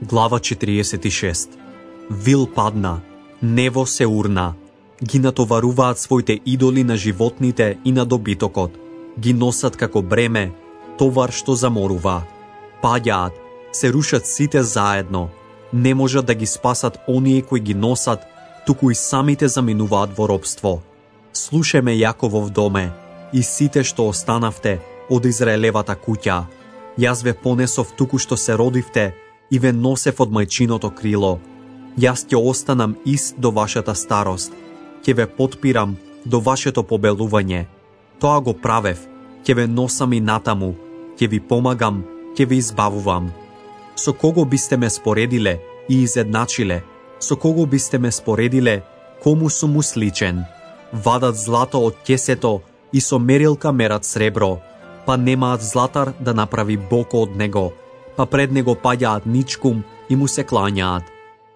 Глава 46. Вил падна, нево се урна. Ги натоваруваат своите идоли на животните и на добитокот. Ги носат како бреме, товар што заморува. Паѓаат, се рушат сите заедно. Не можат да ги спасат оние кои ги носат, туку и самите заминуваат во робство. Слушајме Јаковов доме, и сите што останавте од Израелевата куќа. Јас ве понесов туку што се родивте и ве носев од мајчиното крило. Јас ќе останам ист до вашата старост. Ќе ве потпирам до вашето побелување. Тоа го правев, ќе ве носам и натаму, ќе ви помагам, ќе ве избавувам. Со кого бисте ме споредиле и изедначиле? Со кого бисте ме споредиле, кому сум му сличен? Вадат злато од ќесето и со мерилка мерат сребро, па немаат златар да направи боко од него, па пред него паѓаат ничкум и му се клањаат.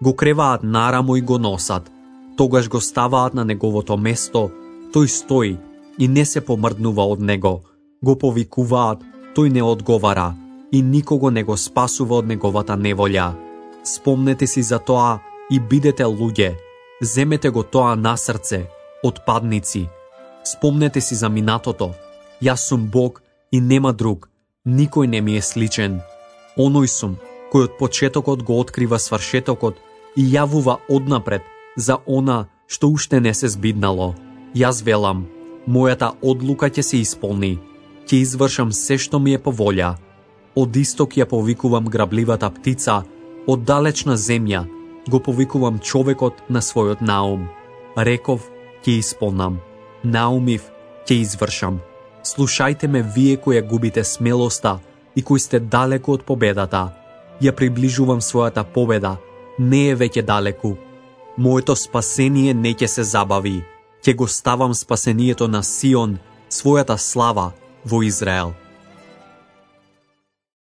Го креваат нарамо и го носат, тогаш го ставаат на неговото место, тој стои и не се помрднува од него. Го повикуваат, тој не одговара и никого не го спасува од неговата неволја. Спомнете си за тоа и бидете луѓе, земете го тоа на срце, отпадници. Спомнете си за минатото, јас сум Бог и нема друг, никој не ми е сличен. Оној сум, кој од почетокот го открива свршетокот и јавува однапред за она што уште не се збиднало. Јас велам, мојата одлука ќе се исполни, ќе извршам се што ми е по волја. Од исток ја повикувам грабливата птица, од далечна земја го повикувам човекот на својот наум. Реков, ќе исполнам, наумив, ќе извршам. Слушајте ме вие кои ја губите смелоста и кои сте далеку од победата. Ја приближувам својата победа, не е веќе далеку. Моето спасение не ќе се забави. Ќе го ставам спасението на Сион, својата слава во Израел.